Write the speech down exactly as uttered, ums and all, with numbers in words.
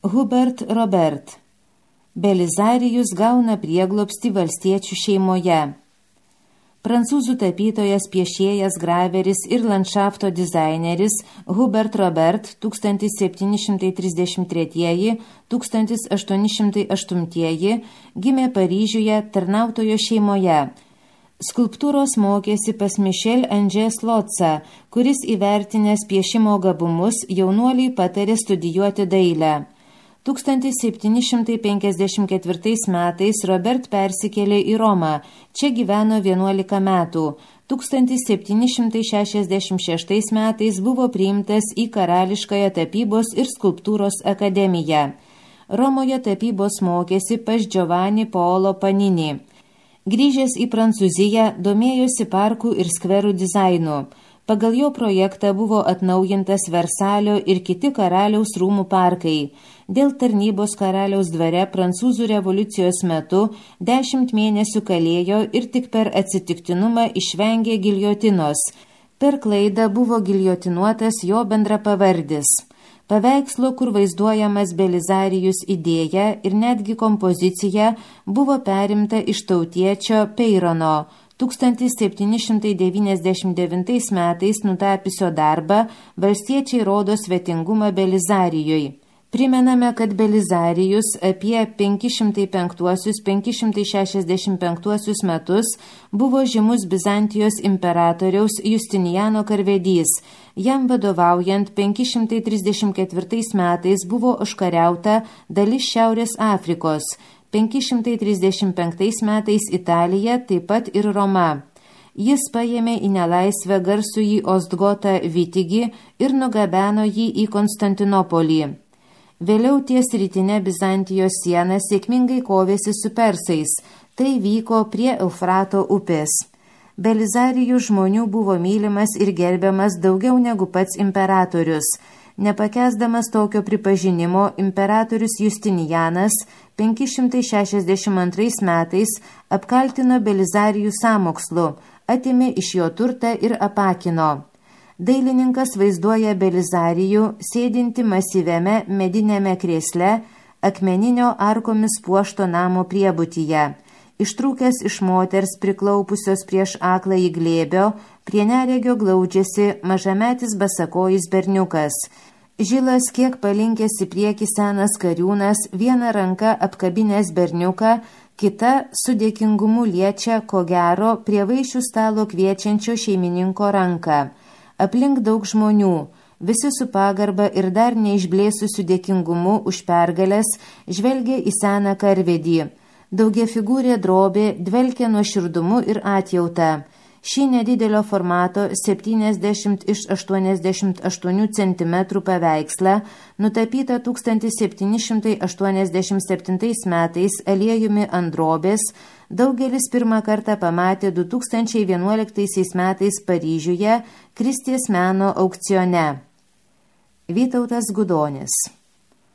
Hubert Robert. Belizarijus gauna prieglobstį valstiečių šeimoje. Prancūzų tapytojas, piešėjas, graveris ir landšafto dizaineris Hubert Robert tūkstantis septyni šimtai trisdešimt treči - tūkstantis aštuoni šimtai aštuntieji gimė Paryžiuje tarnautojo šeimoje. Skulptūros mokėsi pas Michel Angers Lotsa, kuris įvertinęs piešimo gabumus jaunuoliai patarė studijuoti dailę. tūkstantis septyni šimtai penkiasdešimt ketvirtais metais Robert persikėlė į Romą, čia gyveno vienuolika metų. tūkstantis septyni šimtai šešiasdešimt šeštais metais buvo priimtas į Karališkąją tapybos ir skulptūros akademiją. Romoje tapybos mokėsi pas Giovanni Paolo Panini. Grįžęs į Prancūziją, domėjosi parkų ir skverų dizainu. Pagal jo projektą buvo atnaujintas Versalio ir kiti karaliaus rūmų parkai. Dėl tarnybos karaliaus dvare Prancūzų revoliucijos metu dešimt mėnesių kalėjo ir tik per atsitiktinumą išvengė giljotinos. Per klaidą buvo giljotinuotas jo bendrapavardis. Paveikslo, kur vaizduojamas Belizarijus idėja ir netgi kompozicija buvo perimta iš tautiečio Peyrono, tūkstantis septyni šimtai devyniasdešimt devintais metais nutapiusio darbą Valstiečiai rodo svetingumą Belizarijui. Primename, kad Belizarijus apie penki šimtai penktuosius - penki šimtai šešiasdešimt penktuosius metus buvo žymus Bizantijos imperatoriaus Justinijano karvedys. Jam vadovaujant penki šimtai trisdešimt ketvirtais metais buvo užkariauta dalis Šiaurės Afrikos, penki šimtai trisdešimt penktais metais Italija, taip pat ir Roma. Jis paėmė į nelaisvę garsųjį Ostgotą Vitigį ir nugabeno jį į Konstantinopolį. Vėliau ties rytinė Bizantijos siena sėkmingai kovėsi su persais. Tai vyko prie Eufrato upės. Belizarijų žmonių buvo mylimas ir gerbiamas daugiau negu pats imperatorius. Nepakęsdamas tokio pripažinimo, imperatorius Justinijanas penki šimtai šešiasdešimt antrais metais apkaltino Belizarijų sąmokslu, atėmė iš jo turtą ir apakino. Dailininkas vaizduoja Belizarijų sėdinti masyviame medinėme krėsle akmeninio arkomis puošto namo priebutyje. Ištrūkęs iš moters priklaupusios prieš akląjį glėbio, prie neregio glaudžiasi mažametis basakojis berniukas. Žilas kiek palinkęs į priekį senas kariūnas, viena ranka apkabinęs berniuką, kita su dėkingumu liečia, ko gero, prie vaišių stalo kviečiančio šeimininko ranką. Aplink daug žmonių, visi su pagarba ir dar neišblėsusiu dėkingumu už pergalės žvelgia į seną karvedį. Daugiafigūrė drobė dvelkia nuoširdumu ir atjauta. Šį nedidelio formato septyniasdešimt iš aštuoniasdešimt aštuonių centimetrų paveikslą, nutapytą tūkstantis septyni šimtai aštuoniasdešimt septintais metais aliejumi ant drobės, daugelis pirmą kartą pamatė du tūkstančiai vienuoliktaisiais metais Paryžiuje Kristės meno aukcione. Vytautas Gudonis.